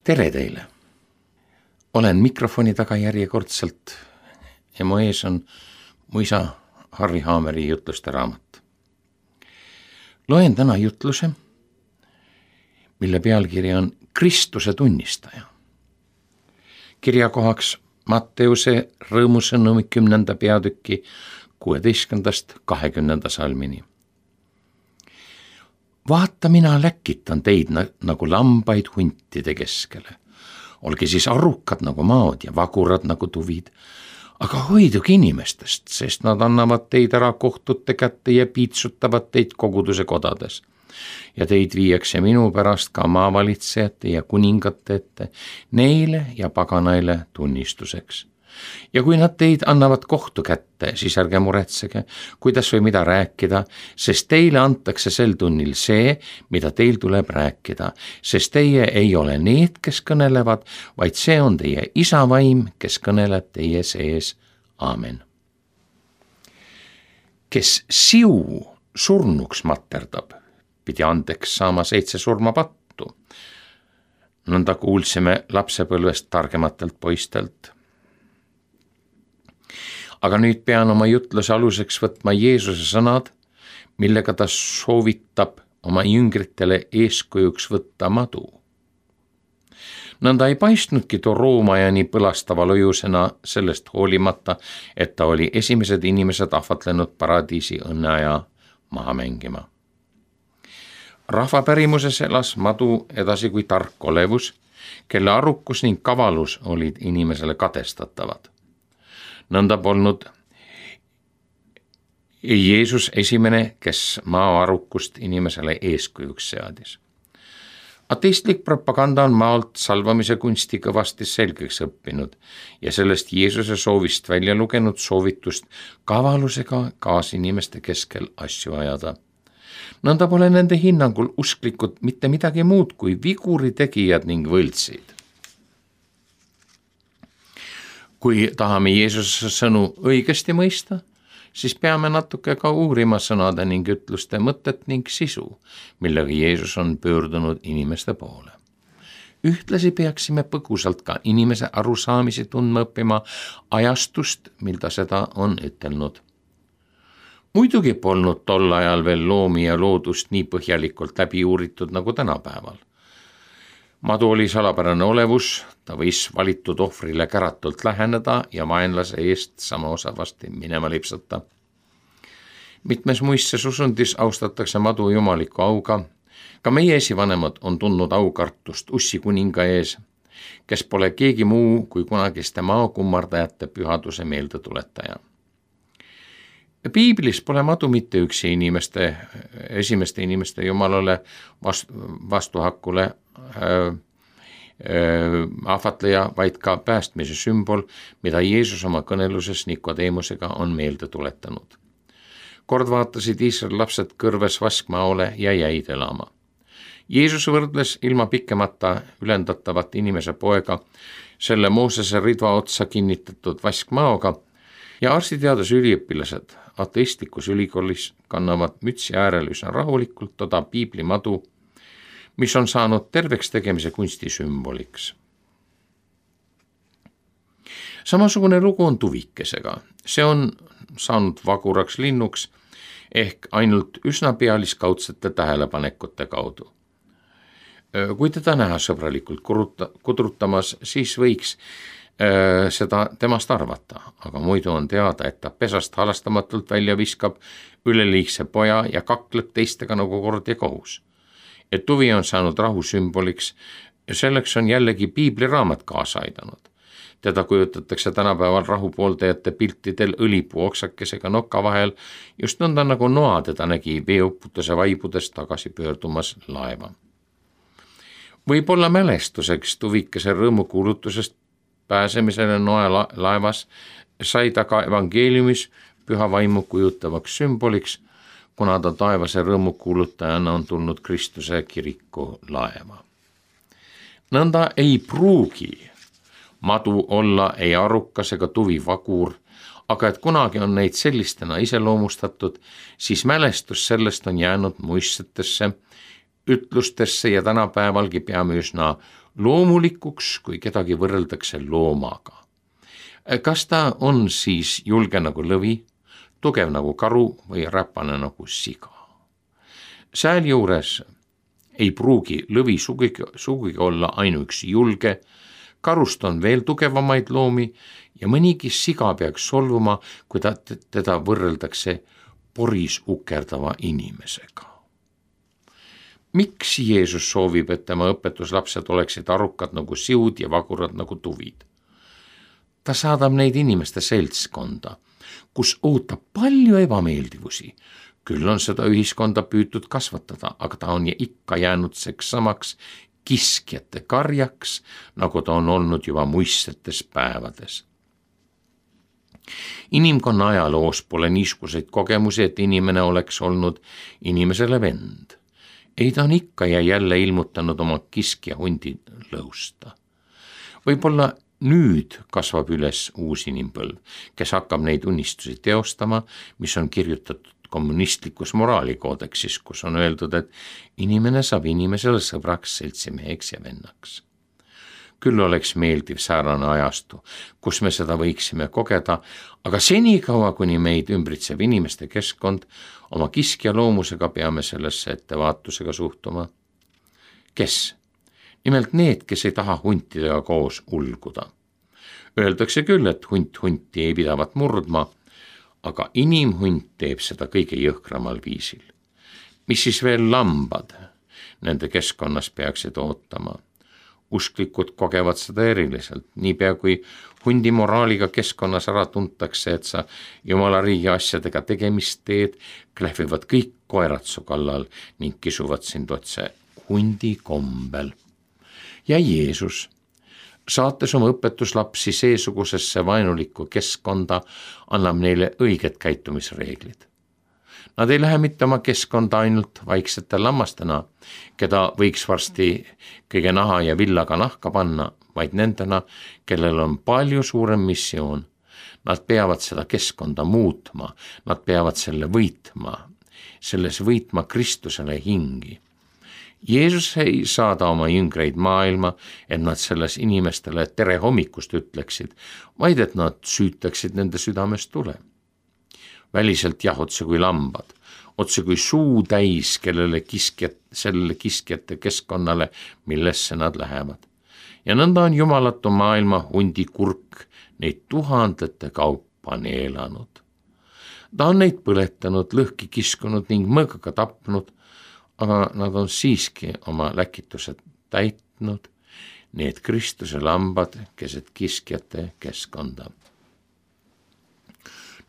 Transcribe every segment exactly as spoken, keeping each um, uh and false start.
Tere teile! Olen mikrofoni taga järjekordselt ja mu ees on mu isa Harri Haameri jutluste raamat. Loen täna jutluse, mille pealkiri on Kristuse tunnistaja. Kirjakohaks Matteuse rõõmusõnumi kümnenda peatüki kuueteistkümnendast kahekümnenda salmini. Vaata, mina läkitan teid nagu lambaid huntide keskele. Olge siis arukad nagu maod ja vagurad nagu tuvid, aga hoiduge inimestest, sest nad annavad teid ära kohtute kätte ja piitsutavad teid koguduse kodades. Ja teid viiakse minu pärast ka maavalitsejate ja kuningate ette, neile ja paganaile tunnistuseks. Ja kui nad teid annavad kohtu kätte, siis ärge muretsege, kuidas või mida rääkida, sest teile antakse sel tunnil see, mida teil tuleb rääkida, sest teie ei ole need, kes kõnelevad, vaid see on teie isa vaim, kes kõneleb teie sees. Aamen. Kes siu surnuks materdab, pidi andeks saama seitse surmapattu. Nõnda kuulsime lapsepõlvest targematelt poistelt. Aga nüüd pean oma jutluse aluseks võtma Jeesuse sõnad, millega ta soovitab oma jüngritele eeskujuks võtta madu. Nõnda ei paistnudki too roomajani põlastava lojusena sellest hoolimata, et ta oli esimesed inimesed ahvatlenud paradiisi õnneaja maha mängima. Rahvapärimuses elas madu edasi kui tark olevus, kelle arukus ning kavalus olid inimesele katestatavad. Nõnda polnud Jeesus esimene, kes maa arukust inimesele eeskujuks seadis. Ateistlik propaganda on maalt salvamise kunsti kõvasti selgeks õppinud ja sellest Jeesuse soovist välja lugenud soovitust kavalusega kaasinimeste keskel asju ajada. Nõnda pole nende hinnangul usklikud mitte midagi muud kui viguri tegijad ning võltsid. Kui tahame Jeesuse sõnu õigesti mõista, siis peame natuke ka uurima sõnade ning ütluste mõtet ning sisu, millega Jeesus on pöördunud inimeste poole. Ühtlasi peaksime põgusalt ka inimese arusaamisi tundma õppima ajastust, mil ta seda on ütelnud. Muidugi polnud tol ajal veel loomi ja loodust nii põhjalikult läbi uuritud nagu tänapäeval. Madu oli salapärane olevus, ta võis valitud ohvrile käratult läheneda ja vaenlase eest sama osavasti minema lipsata. Mitmes muistses usundis austatakse madu jumaliku auga. Ka meie esivanemad on tundnud aukartust Ussi kuninga ees, kes pole keegi muu kui kunagiste maakummardajate pühaduse meeldetuletaja. Piiblis pole madu mitte üksi inimeste, esimeste inimeste jumalale vastu, vastuhakule äh, äh, ahvatleja, vaid ka päästmise sümbol, mida Jeesus oma kõneluses Nikodeemusega on meelde tuletanud. Kord vaatasid Iisraeli lapsed kõrves vaskmaole ja jäid elama. Jeesus võrdles ilma pikemata ülendatavat inimese poega selle Moosese ridva otsa kinnitatud vaskmaoga ja arstiteaduse üliõpilased ateistlikus ülikoolis kannavad mütsi äärel üsna rahulikult toda piibli madu, mis on saanud terveks tegemise kunsti sümboliks. Samasugune lugu on tuvikesega. See on saanud vaguraks linnuks ehk ainult üsna pealiskaudsete tähelepanekute kaudu. Kui teda näha sõbralikult kudrutamas, siis võiks seda temast arvata, aga muidu on teada, et ta pesast halastamatult välja viskab üleliigse poja ja kakleb teistega nagu kord ja kohus. Et tuvi on saanud rahu sümboliks ja selleks on jällegi piibliraamat kaasa aidanud. Teda kujutatakse tänapäeval rahupooldajate piltidel õlipuu oksakesega noka vahel, just nõnda nagu Noa teda nägi veeuputuse vaibudest tagasi pöördumas laeva. Võib-olla mälestuseks tuvikese rõõmukuulutusest pääsemisele Noe laevas sai ta ka evangeeliumis püha vaimu kujutavaks sümboliks, kuna ta taevase rõõmukuulutajana on tulnud Kristuse kiriku laeva. Nõnda ei pruugi madu olla ei arukas ega tuvi vagur, aga et kunagi on neid sellistena iseloomustatud, siis mälestus sellest on jäänud muistsetesse ütlustesse ja tänapäevalgi peame üsna loomulikuks, kui kedagi võrreldakse loomaga. Kas ta on siis julge nagu lõvi, tugev nagu karu või räpane nagu siga? Sealjuures ei pruugi lõvi sugugi, sugugi olla ainuüksi julge, karust on veel tugevamaid loomi ja mõnigi siga peaks solvuma, kui ta, teda võrreldakse poris ukerdava inimesega. Miks Jeesus soovib, et tema õpetuslapsed oleksid arukad nagu siud ja vagurad nagu tuvid? Ta saadab neid inimeste seltskonda, kus ootab palju ebameeldivusi. Küll on seda ühiskonda püütud kasvatada, aga ta on ikka jäänud seks samaks kiskjate karjaks, nagu ta on olnud juba muistsetes päevades. Inimkonna ajaloos pole niisuguseid kogemusi, et inimene oleks olnud inimesele vend. Ei, ta on ikka ja jälle ilmutanud oma kiskja hundi lõusta. Võib-olla nüüd kasvab üles uus inimpõlv, kes hakkab neid unistusi teostama, mis on kirjutatud kommunistlikus moraalikoodeksis, kus on öeldud, et inimene saab inimesele sõbraks, seltsimeheks ja vennaks. Küll oleks meeldiv säärane ajastu, kus me seda võiksime kogeda, aga senikaua, kuni meid ümbritsev inimeste keskkond, oma kiskja loomusega peame sellesse ettevaatusega suhtuma. Kes? Nimelt need, kes ei taha huntidega koos ulguda. Öeldakse küll, et hunt hunti ei pidavat murdma, aga inimhunt teeb seda kõige jõhkramal viisil. Mis siis veel lambad nende keskkonnas peaksid ootama? Usklikud kogevad seda eriliselt, niipea kui hundi moraaliga keskkonnas ära tuntakse, et sa Jumala riigi asjadega tegemist teed, klähvivad kõik koerad su kallal ning kisuvad sind otse hundi kombel. Ja Jeesus, saates oma õpetuslapsi seesugusesse vaenulikku keskkonda, annab neile õiged käitumisreeglid. Nad ei lähe mitte oma keskkonda ainult vaiksete lammastena, keda võiks varsti kõige naha ja villaga nahka panna, vaid nendena, kellel on palju suurem missioon. Nad peavad seda keskkonda muutma, nad peavad selle võitma, selles võitma Kristusele hingi. Jeesus ei saada oma jüngreid maailma, et nad selles inimestele tere hommikust ütleksid, vaid et nad süütaksid nende südamest tule. Väliselt jah, otse kui lambad, otse kui suu täis, kellele kiskjat, sellele kiskjate keskkonnale, millesse nad lähevad. Ja nõnda on jumalatu maailma hundi kurk neid tuhandete kaupa neelanud. Ta on neid põletanud, lõhki kiskunud ning mõõgaga tapnud, aga nad on siiski oma läkitused täitnud, need Kristuse lambad keset kiskjate keskkonda.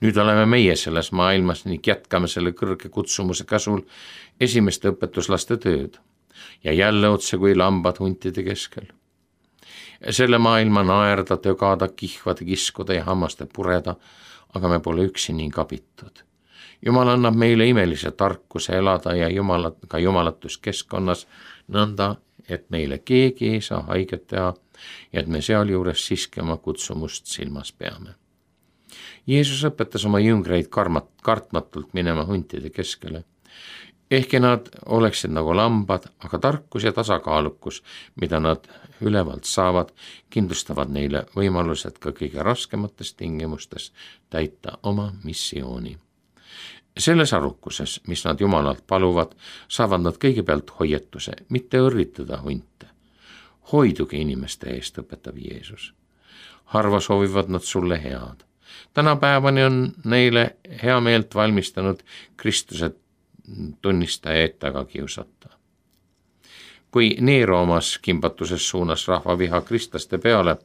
Nüüd oleme meie selles maailmas ning jätkame selle kõrge kutsumuse käsul esimeste õpetuslaste tööd ja jälle otse kui lambad huntide keskel. Selle maailma naerda, tögada, kihvada, kiskuda ja hammaste pureda, aga me pole üksi ning abitud. Jumal annab meile imelise tarkuse elada ja jumalat, ka jumalatus keskkonnas nõnda, et meile keegi ei saa haiget teha ja et me sealjuures siiski oma kutsumust silmas peame. Jeesus õpetas oma jüngreid karmat, kartmatult minema huntide keskele. Ehkki nad oleksid nagu lambad, aga tarkus ja tasakaalukus, mida nad ülevalt saavad, kindlustavad neile võimalused ka kõige raskemates tingimustes täita oma missiooni. Selles arukuses, mis nad Jumalalt paluvad, saavad nad kõigepealt hoietuse, mitte õrritada hunte. Hoiduge inimeste eest, õpetab Jeesus. Harva soovivad nad sulle head. Tänapäevani on neile hea meelt valmistanud Kristuse tunnistajaid taga kiusata. Kui Neero omas kimbatuses suunas rahva viha kristlaste peale,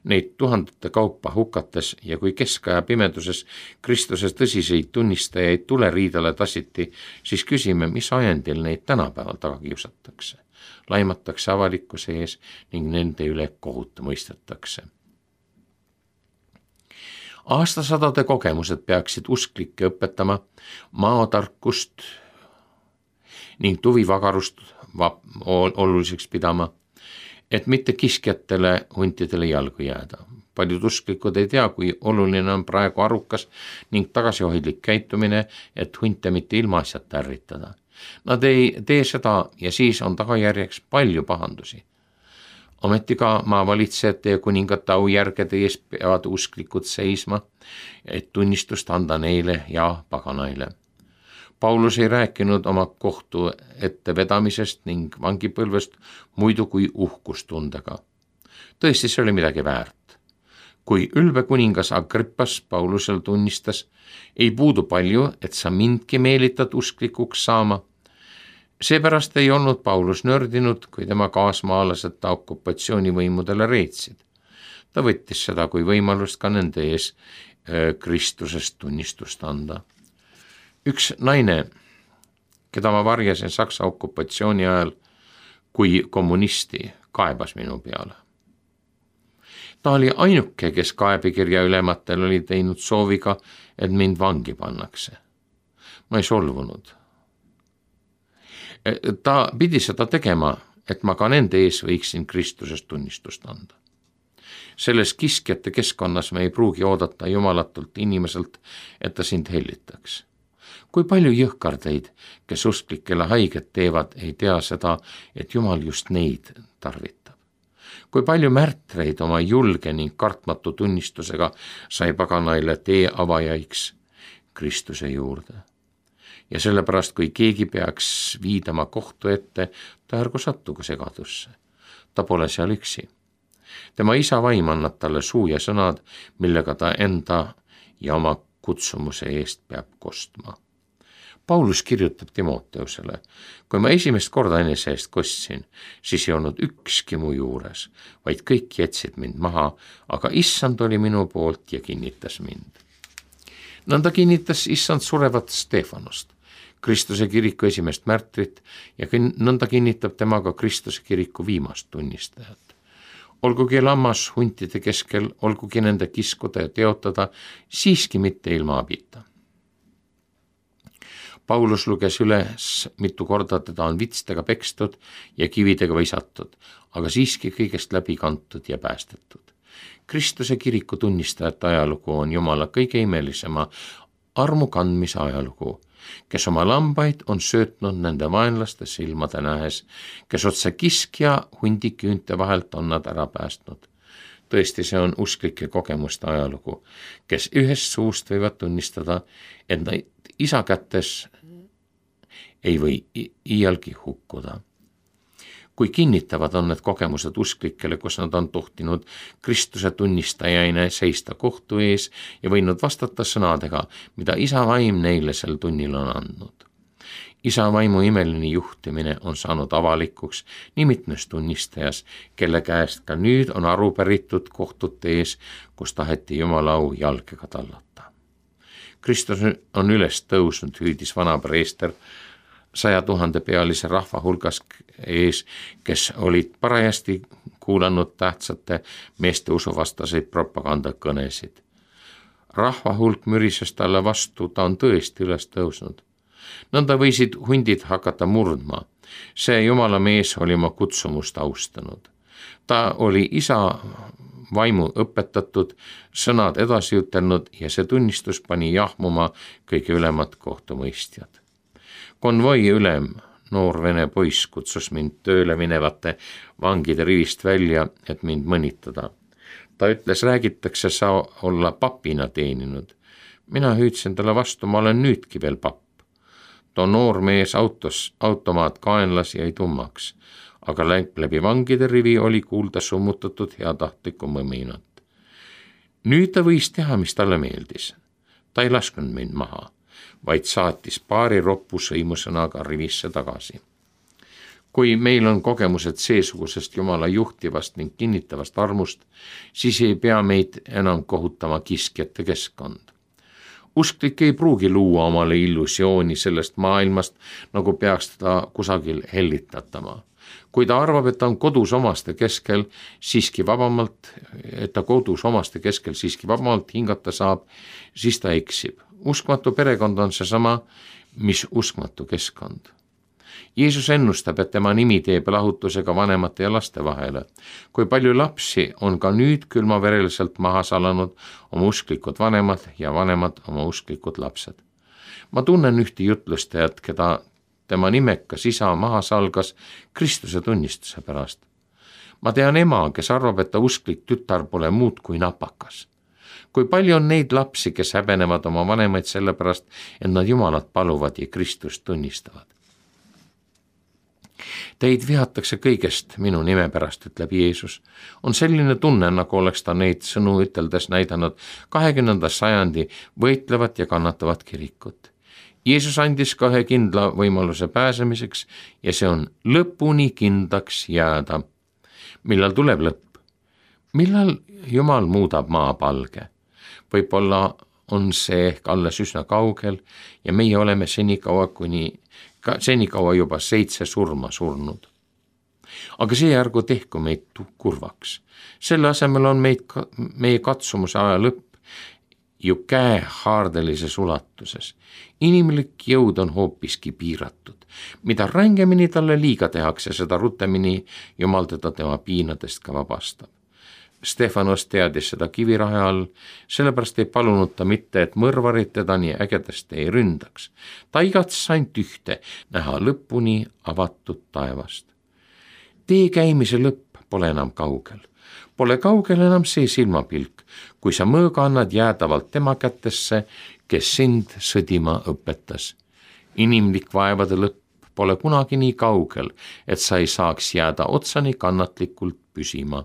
neid tuhandete kaupa hukates ja kui keskaja pimeduses Kristuse tõsiseid tunnistajaid tuleriidale tassiti, siis küsime, mis ajendil neid tänapäeval taga kiusatakse. Laimatakse avalikkuse ees ning nende üle kohut mõistetakse. Aastasadade kogemused peaksid usklikke õpetama maotarkust ning tuvivagarust oluliseks pidama, et mitte kiskjatele huntidele jalgu jääda. Paljud usklikud ei tea, kui oluline on praegu arukas ning tagasihoidlik käitumine, et hunte mitte ilmaasjata ärritada. Nad ei tee seda ja siis on tagajärjeks palju pahandusi. Ometi ka maavalitsejate ja kuningate aujärgede ees peavad usklikud seisma, et tunnistust anda neile ja paganaile. Paulus ei rääkinud oma kohtu ettevedamisest ning vangipõlvest muidu kui uhkustundega. Tõesti, see oli midagi väärt. Kui ülbe kuningas Agrippas Paulusel tunnistas, ei puudu palju, et sa mindki meelitad usklikuks saama. Seepärast ei olnud Paulus nördinud, kui tema kaasmaalased ta okupatsioonivõimudele reetsid. Ta võttis seda kui võimalust ka nende ees Kristusest tunnistust anda. Üks naine, keda ma varjasin Saksa okupatsiooni ajal kui kommunisti, kaebas minu peale. Ta oli ainuke, kes kaebekirja ülematel oli teinud sooviga, et mind vangi pannakse. Ma ei solvunud. Ta pidi seda tegema, et ma ka nende ees võiksin Kristusest tunnistust anda. Selles kiskjate keskkonnas me ei pruugi oodata jumalatult inimeselt, et ta sind hellitaks. Kui palju jõhkardeid, kes usklikele haiget teevad, ei tea seda, et Jumal just neid tarvitab. Kui palju märtreid oma julge ning kartmatu tunnistusega sai paganaile tee avajaiks Kristuse juurde. Ja sellepärast, kui keegi peaks viidama kohtu ette, ta ärgu sattuga segadusse. Ta pole seal üksi. Tema isa vaim annab talle suu ja sõnad, millega ta enda ja oma kutsumuse eest peab kostma. Paulus kirjutab Timoteusele, kui ma esimest korda enese eest kostsin, siis ei olnud ükski mu juures, vaid kõik jätsid mind maha, aga issand oli minu poolt ja kinnitas mind. Nõnda kinnitas issand surevat Stefanost, Kristuse kiriku esimest märtrit ja nõnda kinnitab temaga Kristuse kiriku viimast tunnistajat. Olgugi lammas huntide keskel, olgugi nende kiskuda ja teotada, siiski mitte ilma abita. Paulus luges üles mitu korda, teda on vitstega pekstud ja kividega visatud, aga siiski kõigest läbi kantud ja päästetud. Kristuse kiriku tunnistajate ajalugu on Jumala kõige imelisema armu kandmise ajalugu, kes oma lambaid on söötnud nende vaenlaste silmade nähes, kes otse kiskja hundiküünte vahelt on nad ära päästnud. Tõesti, see on usklike kogemuste ajalugu, kes ühest suust võivad tunnistada, et nad isa kätes ei või iialgi hukkuda. Kui kinnitavad on need kogemused usklikele, kus nad on tohtinud Kristuse tunnistajaine seista kohtu ees ja võinud vastata sõnadega, mida isa vaim neile sel tunnil on andnud. Isa vaimu imeline juhtimine on saanud avalikuks nii mitmes tunnistajas, kelle käest ka nüüd on aru päritud kohtute ees, kus taheti Jumala au jalgega tallata. Kristus on üles tõusnud, hüüdis vana preester saja tuhande pealise rahva hulgas ees, kes olid parajasti kuulanud tähtsate meeste usuvastaseid propagandakõnesid. Rahva hulk mürises talle vastu, ta on tõesti üles tõusnud. Nõnda võisid hundid hakata murdma. See Jumala mees oli oma kutsumust austanud. Ta oli isa vaimu õpetatud, sõnad edasi ütelnud ja see tunnistus pani jahmuma kõige ülemad kohtumõistjad. Konvoi ülem, noor vene poiss, kutsus mind tööle minevate vangide rivist välja, et mind mõnitada. Ta ütles, räägitakse sa olla papina teeninud. Mina hüüdsin talle vastu, ma olen nüüdki veel papp. Too noor mees autos, automaat kaenlas jäi tummaks, aga läbi vangide rivi oli kuulda summutatud heatahtlikku mõminat. Nüüd ta võis teha, mis talle meeldis. Ta ei lasknud mind maha, vaid saatis paari roppu sõimusõnaga rivisse tagasi. Kui meil on kogemused seesugusest Jumala juhtivast ning kinnitavast armust, siis ei pea meid enam kohutama kiskjate keskkond. Usklik ei pruugi luua omale illusiooni sellest maailmast, nagu peaks teda kusagil hellitatama. Kui ta arvab, et ta on kodus omaste keskel siiski vabamalt, et ta kodus omaste keskel siiski vabamalt hingata saab, siis ta eksib. Uskmatu perekond on seesama, mis uskmatu keskkond. Jeesus ennustab, et tema nimi teeb lahutusega vanemate ja laste vahele. Kui palju lapsi on ka nüüd külmavereliselt maha salanud oma usklikud vanemad ja vanemad oma usklikud lapsed. Ma tunnen ühte jutlustajat, keda tema nimekas isa maha salgas Kristuse tunnistuse pärast. Ma tean ema, kes arvab, et ta usklik tütar pole muud kui napakas. Kui palju on neid lapsi, kes häbenevad oma vanemaid selle pärast, et nad Jumalat paluvad ja Kristust tunnistavad. Teid vihatakse kõigest minu nime pärast, ütleb Jeesus. On selline tunne, nagu oleks ta neid sõnu üteldes näidanud kahekümnenda sajandi võitlevat ja kannatavat kirikut. Jeesus andis ka ühe kindla võimaluse pääsemiseks ja see on lõpuni kindlaks jääda. Millal tuleb lõpp? Millal Jumal muudab maa palge? Võib-olla on see ehk alles üsna kaugel ja meie oleme senikaua, kuni, senikaua juba seitse surma surnud. Aga see ärgu tehku meid kurvaks. Selle asemel on meid, meie katsumuse aja lõpp ju käehaardelises ulatuses. Inimlik jõud on hoopiski piiratud. Mida rängemini talle liiga tehakse, seda rutemini Jumal teda tema piinadest ka vabastab. Stefanos teadis seda kivirahe all, sellepärast ei palunud ta mitte, et mõrvarid teda nii ägedasti ei ründaks. Ta igatses ainult ühte, näha lõpuni avatud taevast. Tee käimise lõpp pole enam kaugel. Pole kaugel enam see silmapilk, kui sa mõõga annad jäädavalt tema kätesse, kes sind sõdima õpetas. Inimlik vaevade lõpp pole kunagi nii kaugel, et sa ei saaks jääda otsani kannatlikult püsima.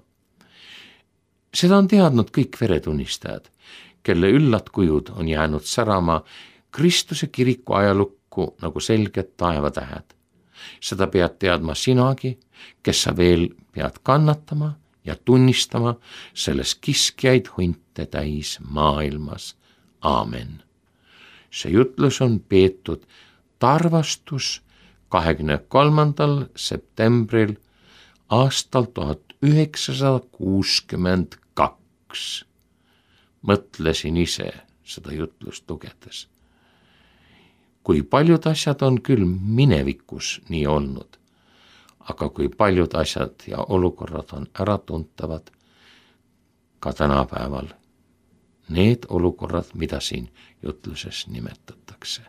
Seda on teadnud kõik veretunnistajad, kelle üllad kujud on jäänud särama Kristuse kiriku ajalukku nagu selged taevatähed. Seda pead teadma sinagi, kes sa veel pead kannatama ja tunnistama selles kiskjaid hunte täis maailmas. Aamen. See jutlus on peetud Tarvastus kahekümne kolmandal septembril aastal tuhat üheksasada kuuskümmend kaks. Mõtlesin ise seda jutlust lugedes. Kui paljud asjad on küll minevikus nii olnud, aga kui paljud asjad ja olukorrad on äratuntavad ka tänapäeval. Need olukorrad, mida siin jutluses nimetatakse.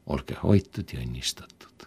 Olge hoitud ja õnnistatud.